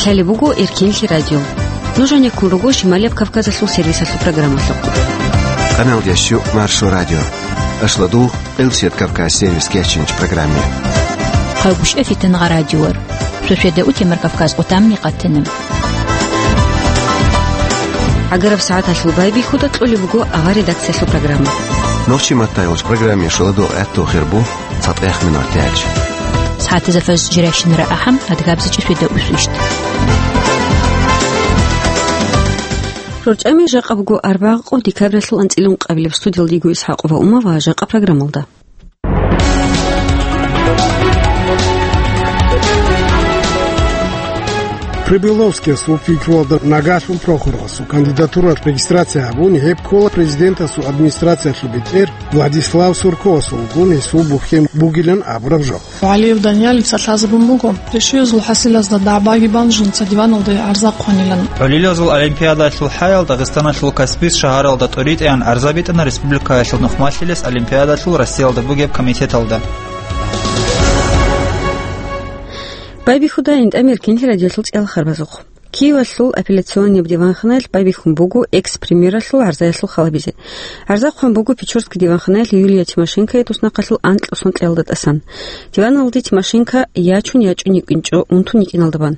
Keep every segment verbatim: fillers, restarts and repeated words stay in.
Лъалеб буго Эркенлъи радио. Нуж гьанеккун руго Шималияб Кавказалъул сервисалъул программалъухъ. Канал дящу Маршо радио. Ашладу Элсет Кавказ сервис кечинч программе. Хъагушев Фитнагъа радиор. Шошеда Утемар Кавказ отамни къатина. Агараб сагӀаталъул байбихьуда кьолеб буго авар редакциялъул программа. Нохчи маттайолч программе шуладу гӀатту хирбу. ЦатӀех минут тяч. СагӀатазда фаз жиращинара ахӀам, адгабзичӀи свида усвищт. РорчӀами жакъа буго арбагъ къо декабралъул анцӀилун къабилеб студиялдиго ИсхӀакъова Ума ва жакъа программалда. Прибыловскиясул пикруалда Нагашин Прохоровасул кандидатуралъ регистрация гьабун, гьеб ккола президентасул администрациялъул бетӀер Владислав Сурковасулгун гьесул бухьен бугилан абураб жо. Алиев Даниялица лъазабун буго, решиязул хӀасилазда дагӀбаги бан жинца диваналде гӀарза хъванилан. ГӀолилазул олимпиадалъул хӀаял Дагъистаналъул Каспийск шагьаралда тӀоритӀеян гӀарза битӀана республикаялъул нухмалъилес олимпиадалъул Россиялда бугеб комитеталда. Байбихьуда ГӀинтӀамир кинлъи радиолъул цӀиялхарбазухъ. Киевалъул апелляционный диванханаялъ байбихьун буго экс-премьералъул гӀарзаялъул халабизе. ГӀарза хъван буго Печорский диванханаялъ Юлия Тимошенкое туснахъалъул анкьго сон кьелалда тӀасан. Диваналде Тимошенко ячун-ячун йикӀинчӀо унтун йикӀиналда бан.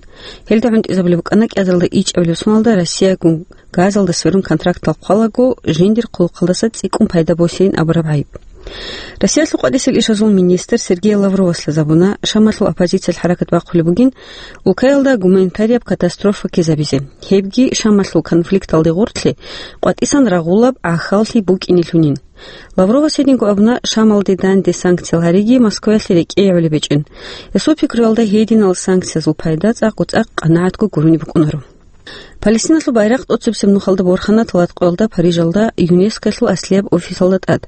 Гьелда гӀунтӀизабулеб букӀана кӀиазаралда ичӀабилеб соналда Россиягун газалда сверун контрактал хъвалаго жиндир хъулухъалдаса цӀикӀкӀун пайда босейин абураб гӀайиб. Россиялъул къватӀисел ишазул министр Сергей Лавровас лъазабуна Шамалъул оппозициялъ хӀаракат бахъулеб бугин улкаялда гуманитарияб катастрофа ккезабизе. Гьебги Шамалъул конфликталде гъорлъе къватӀисан рагъулаб гӀахьаллъи букӀинелъунин. Лавровас гьединго абуна, Шамалде данде санкциял гьариги Москваялъе рекӀее гӀолеб гьечӀин. Гьесул пикруялда гьединал санкциязул пайда цӀакъго-цӀакъ къанагӀатго гурони букӀунаро. Палестиналъул байрахъ тӀоцебсеб нухалда борхана талат къоялда Парижалда ЮНЕСКОялъул аслияб офисалда тӀад.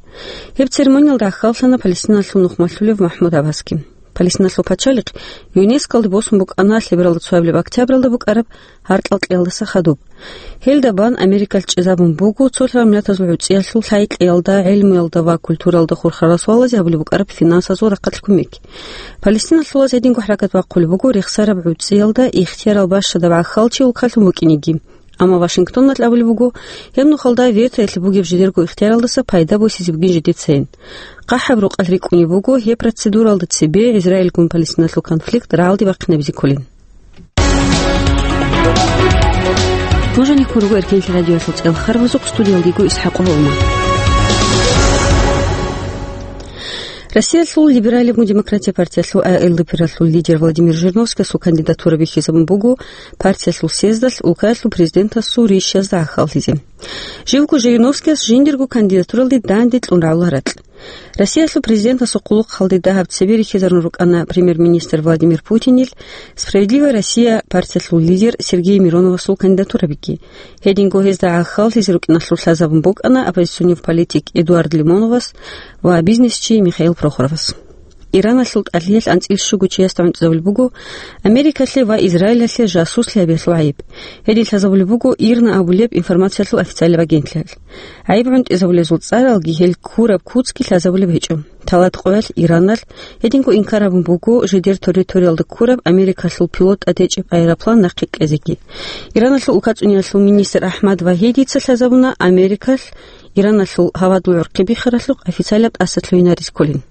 Гьеб церемониялда гӀахьаллъана Палестиналъул нухмалъулев МахӀмуд Аббасги. Палестиналъул пачалихъ ЮНЕСКОялде босун букӀана лъебералда цоябилеб октябралда букӀараб гьаркьал кьеялдаса хадуб. Гьелда бан Америкалъ чӀезабун буго цолъараб миллатазул гӀуцӀиялъул лъай-кьеялда, гӀелмуялда ва культуралда хурхарал суалазе гьабулеб букӀараб финансазул рахъалъ кумек. Палестиналъулаз гьединго хӀаракат бахъулеб буго рехсараб гӀуцӀиялда ихтиярал бащадаб гӀахьалчи улкалъун букӀинеги. Амма Вашингтоналъ абулеб буго, гьеб нухалда ветоялъе бугеб жидерго ихтияралдаса пайда босизе бугин жидецайин. ХъахӀаб рукъалъ рикӀкӀунеб буго гьеб процедуралда цебе Израильгун Палестиналъул конфликт рагӀалде бахъинабизе кколин. Нуж гьанеккун руго Эркенлъи радиоялъул цӀиялхарбазухъ, студиялдего ИсхӀакъова Ума. Россиялъул либерализму демократия партиялъул А Л Д П-ралъул лидер Владимир Жириновскиясул кандидатура бихьизабун буго партиялъул съездалъ улкаялъул президентасул рищазда гӀахьаллъизе. Живго Жириновскияс жиндирго кандидатуралде данде кьун рагӀула ракь. Россиялъул президентасул хъулухъалде дагьаб цебе рихьизарун рукӀана премьер-министр Владимир Путинил, «Справедливая Россия» партиялъул лидер Сергей Мироновасул кандидатурабиги. Гьединго гьезда гӀахьаллъизе рукӀиналъул лъазабун букӀана оппозиционер политик Эдуард Лимоновас ва бизнесчи Михаил Прохоровас. Ираналъул тӀалъиялъ анцӀил щуго чиясда гӀунтӀизабулеб буго Америкалъе ва Израилалъе жасуслъи гьабиялъул гӀайиб. Гьедин лъазабулеб буго ИРНА абулеб информациялъул официалияб агентлъиялъ. ГӀайиб гӀунтӀизабулезул цӀаралги гьел ккураб куцги лъазабулеб гьечӀо. Талат къоялъ Ираналъ гьединго инкар гьабун буго жидер территориялда ккураб Америкалъул пилот тӀадечӀеб аэроплан нахъе кьезеги. Ираналъул улкацӀуниялъул министр Ахмад Вагьидица лъазабуна Америкалъ Ираналъул гьавадул гӀурхъи биххаралъухъ официалаб тӀаса лъугьинаризе кколин.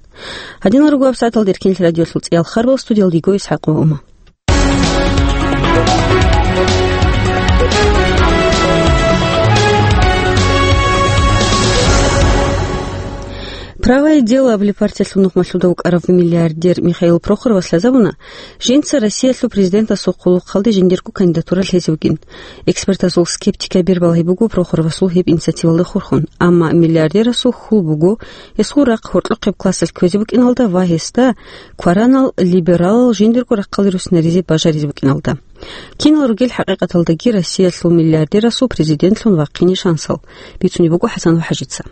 Гьадинал руго гьабсагӀаталда Эркенлъи радиоялъул цӀиялхарбал, студиялдего ИсхӀакъова Ума. «Правое дело» абулеб партиялъул нухмалъуда вукӀарав миллиардер Михаил Прохоровас лъазабуна, жинца Россиялъул президентасул хъулухъалде жиндирго кандидатура лъезе вугин. Экспертазул скептикаби балагьи буго Прохоровасул гьеб инициативалда хурхун, амма миллиардерасул хьул буго гьесул рахъ гьоркьохъеб классалъ кквезе букӀиналда ва гьесда кваранал либералал жиндирго рахъалде руссинаризе бажаризе букӀиналда. Кинал ругел хӀакъикъаталдаги Россиялъул миллиардерасул президентлъун вахъине шансал, бицунеб буго ХӀасан ва ХӀажица.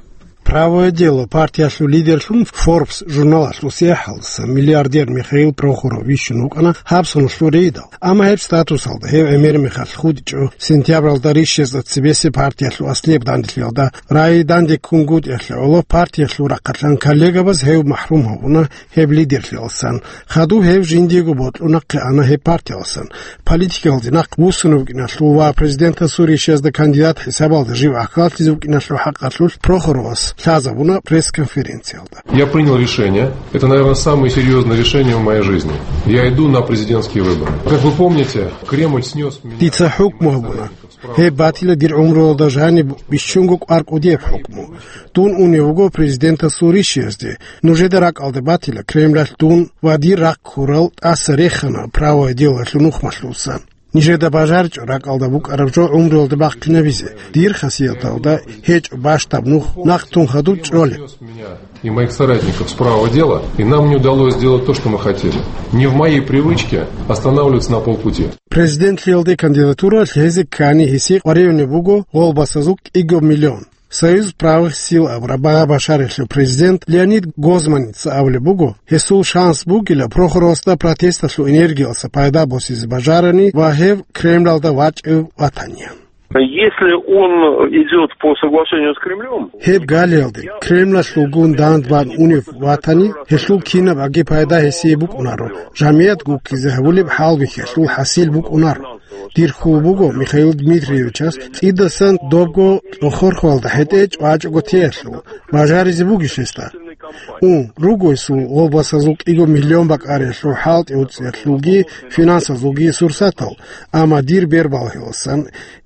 Правое дело партиялъул лидерлъун Forbes журналалъул сахӀалдаса миллиардер Михаил Прохоров вищун вукӀана гьаб соналъул рейдал. Амма гьеб статусалда гьев гӀемер мехалъ хутӀичӀо. Сентябралда рищезда цебесеб партиялъул аслияб данделъиялда рай данде ккунгутӀиялъе гӀоло партиялъул рахъалъан коллегабаз гьев махӀрум гьавуна гьеб лидерлъиялсан. Хадуб гьев жиндиего бокьун нахъе ана гьеб партиялсан. Политикалде нахъ вуссун вукӀиналъул ва президентасул рищезда кандидат хӀисабалда жив ахӀаллъизе вукӀиналъул хӀакъалъулъ Прохоровас лъазабуна пресс-конференциялда. Я принял решение. Это, наверное, самое серьезное решение в моей жизни. Я иду на президентские выборы. Как вы помните, Кремль снес меня. Дица хӀукму гьабуна. Гьеб батила дир гӀумруялда жаниб бищунго кӀвар кӀудияб хӀукму. Дун унев вуго президентасул рищезде. Нужеда ракӀалде батила Кремлалъ дун ва дир рахъ ккурал тӀаса рехана правое делолъул нухмалъулсан. Нижеда бажарчӀо ракӀалда букӀараб жо гӀумруялда бахъинабизе. Дир хасияталда гьечӀо бащдаб нух, нахъ тун хадуб чӀолеб. И моих соратников с правого дела, и нам не удалось сделать то, что мы хотели. Не в моей привычке останавливаться на полпути. Президентлъиялде кандидатура лъезе ккани гьесие къваригӀунеб буго гъолбасазул кӀиго миллион. Союз правых сил абураб багъа-башаралъул президент Леонид Гозманица абулеб буго, гьесул шанс бугила Прохоровасда протесталъул энергиялса пайда босизе бажарани ва гьев Кремлалда вачӀев ватани. Если он идёт по соглашению с Кремлём, гьеб галиялде Кремлалъулгун дандбан унев ватани, гьелъул кинаб аги пайда гьесие букӀунаро, жамият гуккизе гьабулеб хӀалбихьалъул хӀасил букӀунаро. Дир хьул буго Михаил Дмитриевичас цӀидасан добго цӀохорхуалда хӀетӀе чӀвачӀого теялъул, бажаризе бугищ гьесда? Ун, руго гьесул гъолбасазул кӀиго миллион бакӀариялъул хӀалтӀи уцӀиялъулги финансазулги сурсатал, амма дир бербалгьиласан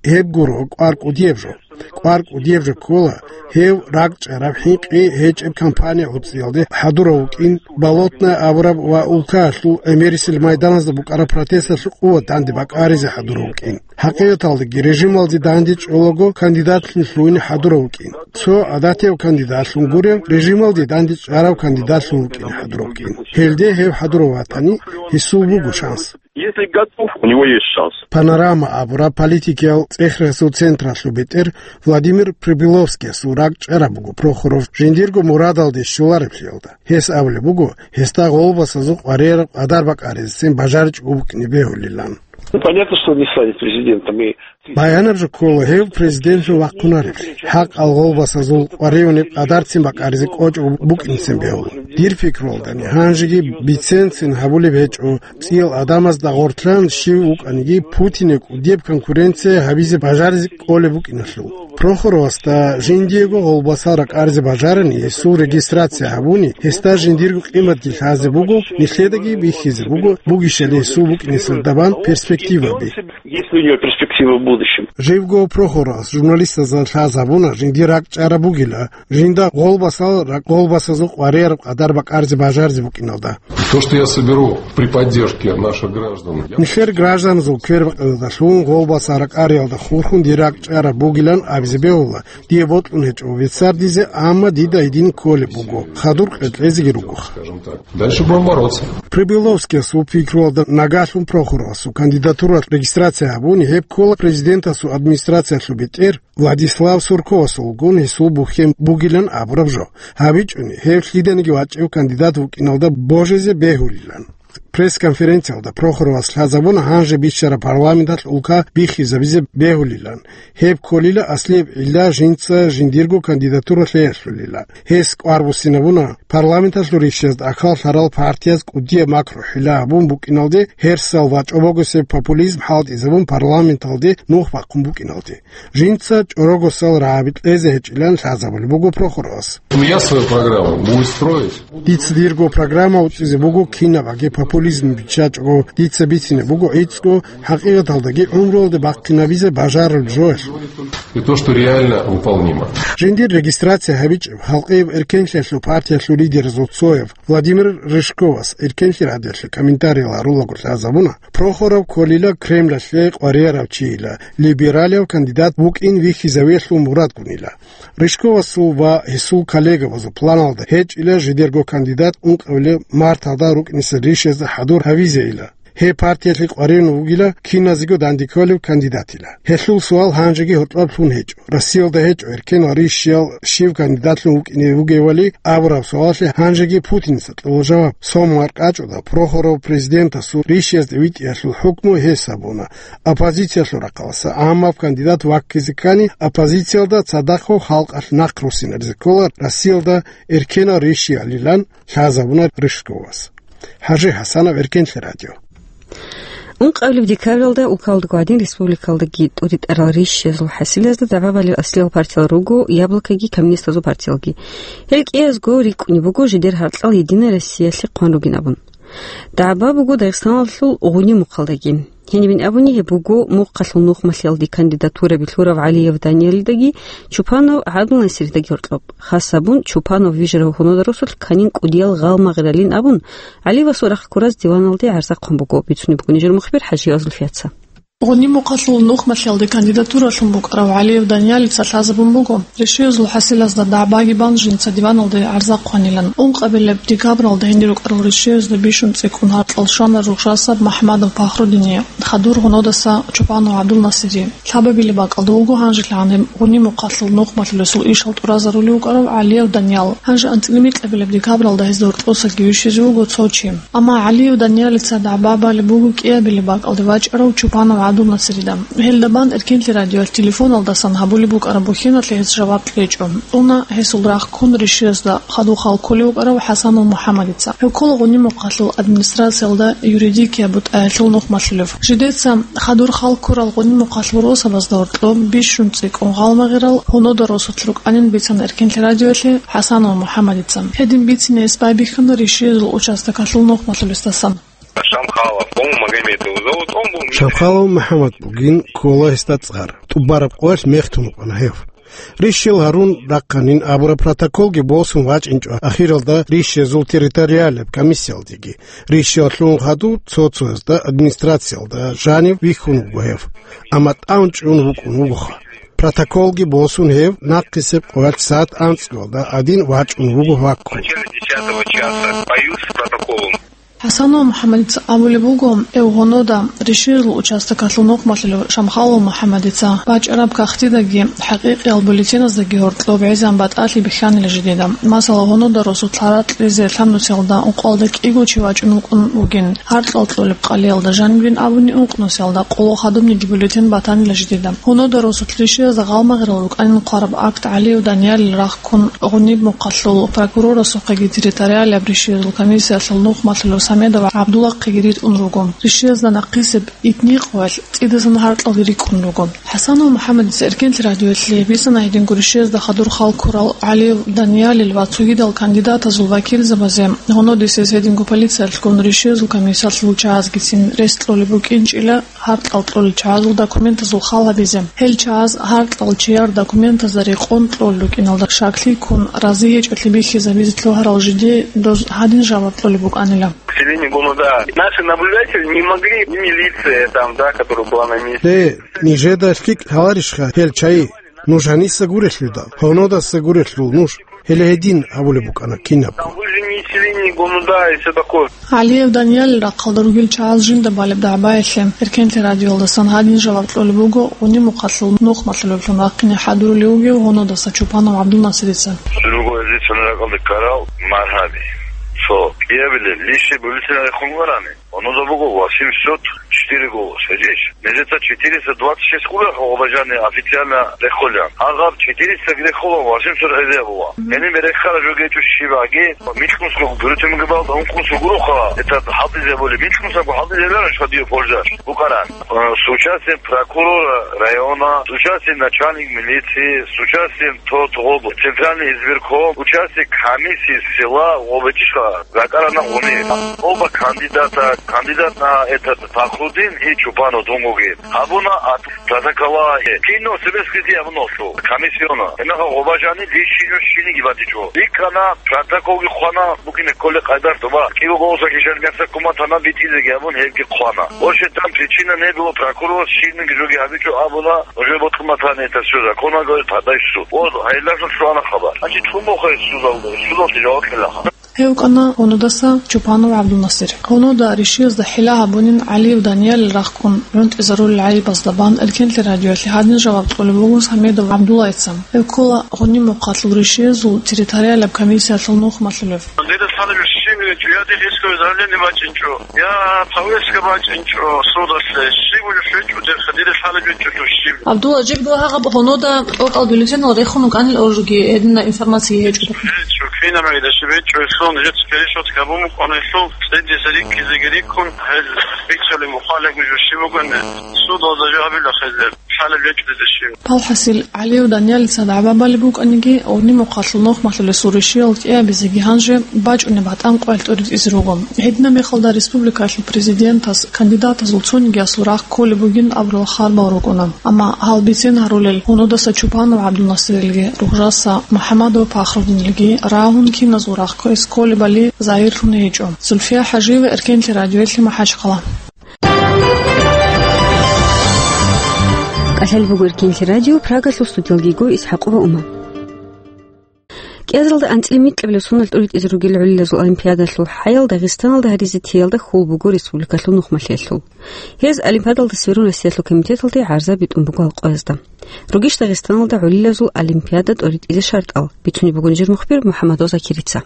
гьеб гуро кӀвар кӀудияб жо. КӀвар кӀудияб жо ккола гьев ракӀчӀараб хӀинкъи гьечӀеб кампания гӀуцӀиялде хӀадурав вукӀин, Болотная абураб ва улкаялъул гӀемерисел майданазда букӀараб протесталъул къуват данде бакӀаризе хӀадурав вукӀин. ХӀакъикъаталдаги режималде данде чӀолаго кандидатлъун лъугьине хӀадурав вукӀин. Цо гӀадатияв кандидатлъун гурев, режималде данде чӀарав кандидатлъун вукӀине хӀадурав вукӀин. Гьелде гьев хӀадурав ватани, гьесул буго шанс. Если готов, у него есть шанс. Панорама абураб политикиял цӀехрасул централъул бетӀер Владимир Прибыловскиясул ракӀчӀараб буго Прохоров жиндирго мурадалде щолареблъиялда. Гьес абулеб буго, гьесда гъолбасазул къваригӀараб къадар бакӀаризецин бажаричӀого букӀине бегьулилан. Ну, понятно, что он не станет президентом, и Баянаб жо ккола гьев президентлъун вахъунареблъи. ХӀакъал гъолбасазул къваригӀунеб къадарцин бакӀаризе кӀочӀого букӀинцин бегьула. Дир пикруялдани, гьанжеги биценцин гьабулеб гьечӀо, цӀиял адамазда гъортлъан щив вукӀаниги Путине кӀудияб конкуренция гьабизе бажаризе кӀолеб букӀиналъул. Прохоровасда жиндиего гъолбасал ракӀаризе бажарани, гьесул регистрация гьабуни, гьесда жиндирго къиматги лъазе буго, нилъедаги бихьизе буго, бугищали гьесул букӀинесда бан перспективаби. Есть ли у него перспективы в будущем? Живго Прохоровас журналистазда лъазабуна жиндир ракӀчӀараб бугила, жинда гъолбасал ракӀ-, гъолбасазул къваригӀараб къадар бакӀаризе бажаризе букӀиналда. То, что я соберу при поддержке наших граждан, я Нилъер гражданазул квербакъиялдалъун гъолбасал ракӀариялда хурхун дир ракӀчӀараб бугилан абизе бегьула, дие бокьун гьечӀо веццардизе, амма дида гьедин кколеб буго, хадур къеркьезеги ругоха. Скажем так. Дальше будем бороться. Прибыловскиясул пикруялда, нагагьлъун Прохоровасул кандидатура регистрация гьабуни, гьеб ккола президентасул администрациялъул бетӀер Владислав Сурковасулгун гьесул бухьен бугилан абураб жо. ГьабичӀони, гьев лъиданиги вачӀев кандидат вукӀиналда божизе бегьулилан. Пресс-конференциялда Прохоровас лъазабуна гьанже биччараб парламенталъ улка биххизабизе бегьулилан. Гьеб кколила аслияб гӀилла жинца жиндирго кандидатура лъеялъулила. Гьес кӀвар буссинабуна парламенталъул рищазда акаллъарал партияз кӀудияб макру-хӀила гьабун букӀиналде, гьерсал ва чӀобогосеб популизм хӀалтӀизабун парламенталде нух бахъун букӀиналде. Жинца чӀорогосал рагӀаби кьезе гьечӀилан лъазабулеб буго Прохоровас. Я свою программу буду строить. Дица дирго программа уцӀизе буго, кинаб аги популизм биччачӀого, дица бицине буго гӀицӀго, хӀакъикъаталдаги гӀумруялде бахъинабизе бажарулеб жоялъул. И то, что реально выполнимо. Жиндир регистрация гьабичӀеб халкъияб эркенлъиялъул партиялъул лидеразул цояв Владимир Рыжковас эркенлъи радиоялъе комментарий гьарулаго лъазабуна, Прохоров кколила Кремлалъе къваригӀарав чийила, либералияв кандидат вукӀин вихьизавиялъул мурадгунила. Рыжковасул ва гьесул коллегабазул планалда гьечӀила жидерго кандидат ункъабилеб марталда рукӀинесул ришазда хӀадур гьавизейила. Гьеб партиялъе къваригӀун вугила киназего данде кколев кандидатила. Гьелъул суал гьанжеги гьоркьоб лъун гьечӀо. Россиялда гьечӀо эркенал рищиял щив кандидатлъун вукӀине вугевали абураб суалалъе гьанжеги Путиница кьола жаваб. Сомал къачӀуда Прохоров президентасул рищиязде витӀиялъул хӀукму гьес гьабуна. Оппозициялъул рахъаласа гӀаммаб кандидат ваккизе ккани, оппозициялда цадахъго халкъалъ нахъ руссинаризе ккола Россиялда эркенал рищиялилан лъазабуна Рыжковас. ХӀажи ХӀасанов, Эркенлъи радио. Ункъабилеб декабралда улкалдаго гӀадин республикалдаги тӀуритӀарал рищиязул хӀасилазда дагӀба балел аслиял партиял руго Яблокоги коммунистазул партиялги. Гьел кӀиязго рикӀкӀунеб буго жидер гьаркьал Единая Россиялъе хъван ругин абун. ДагӀба буго Дагъистаналъул Гъуниб мухъалдаги. Гьенибин абуни, гьеб буго мухъалъул нухмалъиялде кандидатураби лъурав ГӀалиев Даниялидаги Чупанов ГӀабдулнасиридаги гьоркьоб. Хас гьабун, Чупанов вижарав гьунодарусулъ кканин кӀудиял гъалмагъралин абун, ГӀалиевасул рахъ ккураз диваналде гӀарза хъван буго, бицунеб буго нижер мухбир ХӀажиева Зульфияца. Гъуниб мухъалъул нухмалъиялде кандидатуралъун букӀарав ГӀалиев Даниялица лъазабун буго, рищиязул хӀасилазда дагӀбаги бан жинца диваналде гӀарза хъванилан. Ункъабилеб декабралда гьенир рукӀарал рищиязда бищун цӀикӀкӀун гьаркьал щвана рушасаб МахӀмадов Пахрудине, хадур гьунодаса Чупанов ГӀабдулнасири. Лъабабилеб бакӀалда вуго гьанжелъагӀан гьеб Гъуниб мухъалъул нухмалъулесул ишал тӀуразарулев вукӀарав ГӀалиев Даниял. Гьанже анцӀила микьабилеб декабралда гьезда гьоркьосаги вищизе вуго цо чи. Амма ГӀалиев Даниялица дагӀба балеб буго кӀиабилеб бакӀалде вачӀарав Чупанов ГӀабдулнасирида. Гьелда бан Эркенлъи радиоялъ телефоналдасан гьабулеб букӀараб бухьиналъе гьес жаваб кьечӀо. УнагӀ гьесул рахъ ккун рищиязда хадур хал кколев вукӀарав ХӀасанов МухӀаммадица. Гьев ккола Гъуниб мухъалъул администрациялда юридикияб бутӀаялъул нухмалъулев. Жидеца хадур хал ккурал Гъуниб мухъалъул росабазда гьоркьоб бищун цӀикӀкӀун гъалмагърал гьунода росулъ рукӀанин бицана Эркенлъи радиоялъе ХӀасанов МухӀаммадица. Гьедин бицине гьес байбихьана рищиязул участокалъул нухмалъулесдасан. Шамхалов, по-моему, Магомедов зовут, он был... Шамхалов МухӀаммад бугин, ккола гьесда цӀар. ТӀубараб къоялъ мехтун вукӀана гьев. Рищел гьарун рахъанин абураб протоколги босун вачӀинчӀо ахиралда рищезул территориалияб комиссиялдеги. Рищел лъун хадуб цо-цоязда администрациялда жанив вихьун вуго гьев. Амма тӀамчӀун вукӀун вугоха. Протоколги босун гьев нахъисеб къоялъ сагӀат анцӀгоялда гӀадин вачӀун вуго ваккун. В начале десятого часа появился протокол. ХӀасанов МухӀаммадица абулеб буго, эв гьунода, рищезул участокалъул нухмалъулев Шамхалов МухӀаммадица бачӀараб кагътидаги хӀакъикъиял бюллетеназдаги гьоркьоб гӀезегӀан батӀалъи бихьанила жидеда. Масала, гьунода росулъ гьаракь лъезе лъабнусиялда ункъоялда кӀиго чи вачӀун вукӀун вугин, гьаркьал кьолеб къалиялда жанибин абуни ункънусиялда къоло хадубниги бюллетен батанила жидеда. Гьунода росулъ рищезда гъалмагърал рукӀанин хъвараб акт ГӀалиев Даниялил рахъ ккун, Гъуниб мухъалъул прокурорасухъеги территориалияб рищиязул комиссиялъул нухмалъулев Самедов ГӀабдулахъеги ритӀун руго. Рищиязда нахъисеб итни къоялъ цӀидасан гьаркьалги рикӀкӀун руго. ХӀасанов МухӀаммадица Эркенлъи радиоялъе бицана гьединго рищиязда хадур хал ккурал ГӀалиев Даниялил ва цогидал кандидатазул вакилзабазе гьунодисез гьединго полициялъгун рищиязул комиссиялъул чагӀазгицин рес кьолеб букӀинчӀила гьаркьал кьолел чагӀазул документазул хал гьабизе. Гьел чагӀаз гьаркьал чияр документазда рекъон кьолел рукӀиналда шаклъи ккун, рази гьечӀолъи бихьизабизе лъугьарал жиде доз гьадин жаваб кьолеб букӀанила. К сожалению, гуну, да. Наши наблюдатели не могли, и милиция там, да, которая была на месте. Э, нижеда лъикӀ лъаларищха гьел чагӀи? Нуж гьаниса гурелъул дал, гьунодаса гурелъул нуж. Гьеле гьедин абулеб букӀана кинабго. Там выжженные селения, гуну, да, и всё такое. ГӀалиев Даниялил рахъалда ругел чагӀаз жинда балеб дагӀбаялъе Эркенлъи радиоялдасан гьадин жаваб кьолеб буго Гъуниб мухъалъул нухмалъулевлъун вахъине хӀадурулев вугев гьунодаса Чупанов ГӀабдулнасирица. Другое лицо на ракъалда ккарал маргьаби. Цо кӀиабилеб лище бюллетен рехун варани. Гьунуда буго восемьсот четыре голос, гьечӀищ? Нижеца четыреста двадцать шесть кколаха гъобажани официально рехулел. Гьагъаб четыреста рехула, восемьсот гӀезегӀан буго. Гьениб рехараб жо гьечӀо щибаги, микьнусго бюллетенги балда ункънусго гуроха, это хӀалтӀизе боли, микьнусго хӀалтӀизе лараш гьадио пользаш букӀаран. Э, с участием прокурора района, с участием начальник милиции, с участием тот гъоб центральный избирком, участие комиссии села гъобечӀиша. Ракарана гъуни. Оба кандидата, кандидат на этот Пахрудин и Чупанов дунгоги. Абуна от протокола, э, кино советский ди абуна шо, комиссиона. Энаха гъобажани личино шиниги батичо. Икана протоколги хъвана, букине коле къайдар тоба. Киго голоса кишан мяса куматана битизеги абун гьебги хъвана. Още там причина не было, прокурор шиниги жоги абичо абуна, уже вот куматане это всё законно, говорит, подай в суд. Вот, гьайлашо шуана хабар. Значит, чумохай судал, судал тижават лаха. Гьев вукӀана гьунудаса Чупанов ГӀабдулнасир. Гьунуда ришиязда хӀила гьабунин ГӀалиев Даниялил рахъун гӀунтӀизарулел гӀайибазда бан Эркенлъи радиоялъе гьадин жаваб кьолеб буго Самедов ГӀабдуллайица. Гьев ккола Гъуниб-Мухъалъул ришиязул территориалаб комиссиялъул нухмалъулев. Дида лъалеб щиб гьечӀо, я дихъ исковое заявление бачӀинчӀо, я повестка бачӀинчӀо судалъе, щиб гьечӀо дида лъалеб гьечӀо щиб. ГӀабдулла, жибго гьагъаб гьунуда тӀокӀал бюллетенал рехун вукӀанил оружги гьедина информация гьечӀо. ГьечӀо, кинаб гӀида щиб гьечӀо, гьелъул нижеца пересчёт гьабун букӀана, гьелъул цӀидизе риккизеги риккун, гьел бицалеб мухъалеб жо щиб бугони, судалда жо гьабила хезер. Палхасил ГӀалиев Даниялица дагӀба балеб букӀаниги, Гъуниб-Мухъалъул нухмалъулесул ришиял кӀиабизеги гьанже бачӀунеб батӀан къоялъ тӀоритӀизе руго. Гьедина мехалда республикалъул президентас кандидатазул цонигиясул рахъ кколеб бугин абурал харбал рукӀуна. Амма гьал бицен гьарулел гьунудаса Чупанов ГӀабдулнасирилги, Ругъжаса МухӀамадов Пахрудинилги рагьун киназул рахъ кквес кколебали загьирлъун гьечӀо. Зульфия ХӀажиева, Эркенлъи радиоялъе, МахӀачхъала. КӀалъалеб буго Эркенлъи радио, Прагалъул студиялги го ИсхӀакъова Ума. КӀиазаралда анцӀила микьабилеб соналъ тӀоритӀизе ругел гӀолилазул олимпиадалъул хӀаял Дагъистаналда гьаризе теялда хьул буго республикалъул нухмалъиялъул. Гьез олимпиадалда сверун Россиялъул комитеталде гӀарза битӀун буго гьал къоязда. Ругищ Дагъистаналда гӀолилазул олимпиада тӀоритӀизе шартӀал, бицунеб буго нижер мухбир МухӀаммадов Закирица.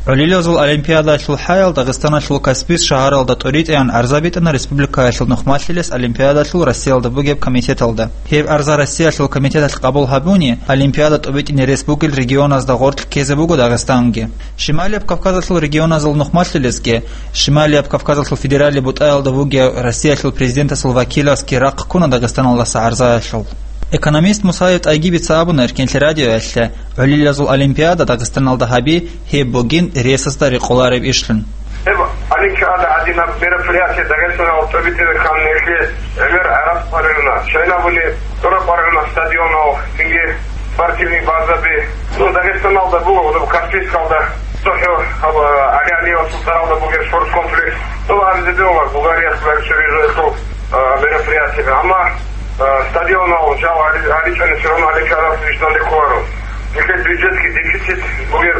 ГӀолилазул олимпиадалъул хӀаял Дагъистаналъул Каспийск шагьаралда тӀоритӀеян гӀарза битӀана республикаялъул нухмалъилес олимпиадалъул Россиялда бугеб комитеталда. Гьеб гӀарза Россиялъул комитеталъ къабул гьабуни, олимпиада тӀобитӀине рес бугел регионазда гъоркь ккезе буго Дагъистанги. Шималияб Кавказалъул регионазул нухмалъилесги, Шималияб Кавказалъул федералияб бутӀаялда вугев Россиялъул президентасул вакиласги рахъ ккуна Дагъистаналдаса гӀарзаялъул. Экономист Мусаев ТӀайгибица абуна Эркенлъи радиоялъе, гӀолилазул олимпиада Дагъистаналда гьаби, гьеб бугин ресасда рекъолареб ишлъун. Гьеб олимпиада гӀадинаб мероприятие Дагъистаналда тӀобитӀизе кканилъе гӀемер гӀарац къваригӀуна. Шайнабуни тӀура къваригӀуна стадионал, цинги спортивный базаби. Ну, Дагъистаналда буго, гьудуб Каспийскалда, цохӀо, гьаб, ГӀали Алиевасул цӀаралда бугеб спорт комплекс. Ну, гьабизе бегьула Булгарияс барисеб жо гьелъул, а, мероприятиеби. Амма, а, стадионал жал гьари-, гьаричӀони все равно олимпиадалъ вищдалде кколаро. Нилъер бюджетги дефицит бугеб,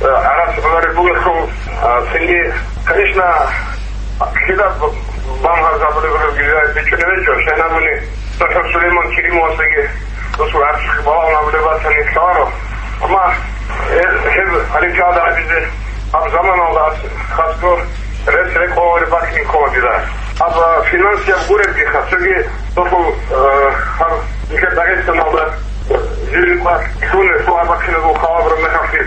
а, гӀарац гӀолареб бугелъул, а, цинги, конечно, кида б-, бан гьарзабулеб гьебги бичӀчӀулеб гьечӀо, шайнабуни СтӀахӀов Сулейман Керимовасдаги досул гӀарцихъ балагьун абулеб батани лъаларо. Амма гьеб, гьеб олимпиада гьабизе гьаб заманалда ас хасго рес рекъолареб бакӀин ккола дида. Гьаб финансияб гуребгиха, цоги досул, э, гьаб нилъер Дагъистаналда жири къват лъугьунел лъугьа-бахъинабул халабураб мехалъги,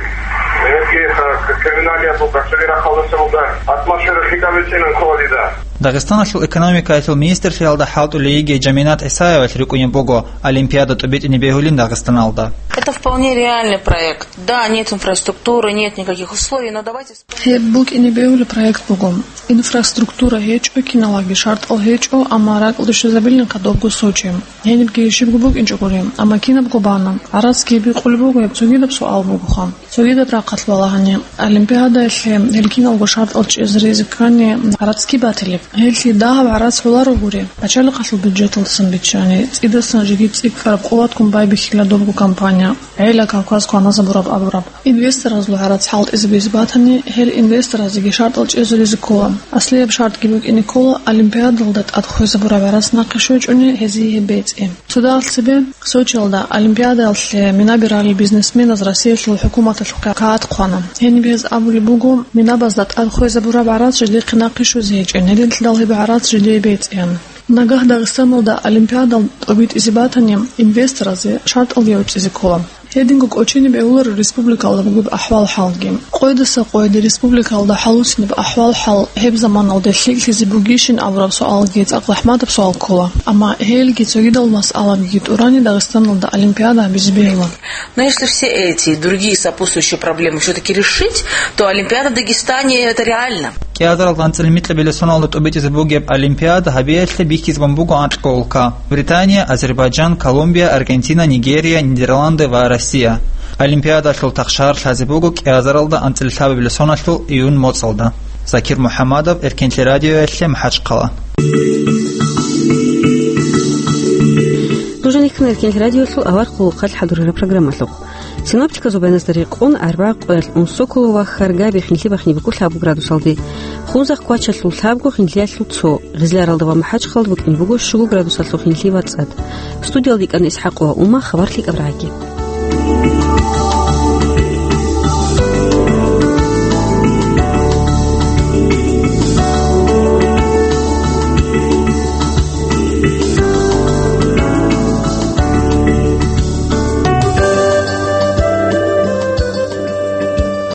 гьебги, э, криминалияб буго, цоги рахъалдаса буго, атмосфера лъикӀаб бицинаб ккола дида. Дагъистаналъул экономикаялъул министрлъиялда хӀалтӀулей йигей Жаминат ГӀисаевалъ рикӀкӀунеб буго олимпиада тӀубитӀине бегьулин Дагъистаналда. Это вполне реальный проект. Да, нет инфраструктуры, нет никаких условий, но давайте вспомним. Гьеб букӀине бегьулеб проект буго. Инфраструктура гьечӀо, киналги шартӀал гьечӀо, амма ракӀалде щвезабилинха добго Сочи. Гьенибги щибго букӀинчӀо гури, амма кинабго бана. ГӀарацги бикъулеб буго, гьеб цогидаб суал бугоха. Цогидаб рахъалъ балагьани, олимпиадаялъе гьел киналго шартӀал чӀезаризе ккани, гӀарацги батилеб. Гьелъие дагьаб гӀарац гӀоларо гури, пачалихъалъул бюджеталдасан биччани, цӀидасан жеги цӀикӀкӀараб къуватгун байбихьила добго компания, гӀела Кавказ кваназабураб абураб. Инвесторазул гӀарац хӀалтӀизабизе батани, гьел инвесторазеги шартӀал чӀезаризе ккола. Аслияб шартӀги букӀине ккола олимпиадалда тӀад хвезабураб гӀарац нахъе щвечӀони гьезие гьеб бецӀи. Цо дагьалъ цебе Сочиялда олимпиадаялъе минаби ралел бизнесменаз Россиялъул хӀукуматалъухъе кагъат хъвана. Гьениб гьез абулеб буго, минабазда тӀад хвезабураб гӀарац жидехъе нахъе щвезе гьечӀин, гьединлъидал гьеб гӀарац жидее бецӀиян. Нагагь Дагъистаналда олимпиадал тӀобитӀизе батани, инвесторазе шартӀалги гӀуцӀизе ккола. Гьединго кӀочине бегьуларо республикалда бугеб ахӀвал-хӀалги. Къойдаса къойде республикалда хӀалуцинеб ахӀвал-хӀал гьеб заманалде лъикӀлъизе бугищин абураб суалги цӀакъ захӀматаб суал ккола. Амма гьелги цогидал масъалаги тӀурани Дагъистаналда олимпиада гьабизе бегьула. Но если все эти и другие сопутствующие проблемы всё-таки решить, то Олимпиада в Дагестане — это реально. КӀиазаралда анцӀила микьабилеб соналда тӀубитӀизе бугеб олимпиада гьабиялъе бихьизабун буго анкьго улка: Британия, Азербайджан, Колумбия, Аргентина, Нигерия, Нидерланды ва Россия. Олимпиадалъул тахшагьар лъазе буго кӀиазаралда анцӀила лъабабилеб соналъул июнь моцӀалда. Закир МухӀаммадов, Эркенлъи радиоялъе, МахӀачхъала. Нуж гьанир ккана Эркенлъи радиоялъул авар къулухъалъ хӀадурараб программалъухъ. Синоптиказул баяназда рекъон, арбагъ къоялъ Унсоколо ва Харгаби хинлъи бахине буго лъабго градусалде, Хунзахъ квачалъул лъабго, хинлъиялъул цо, Гъизляралда ва МахӀачхъалда букӀине буго щуго градусалъул хинлъи ва цӀад. Студиялда йикӀана ИсхӀакъова Ума, хабар лъикӀаб рагӀаги.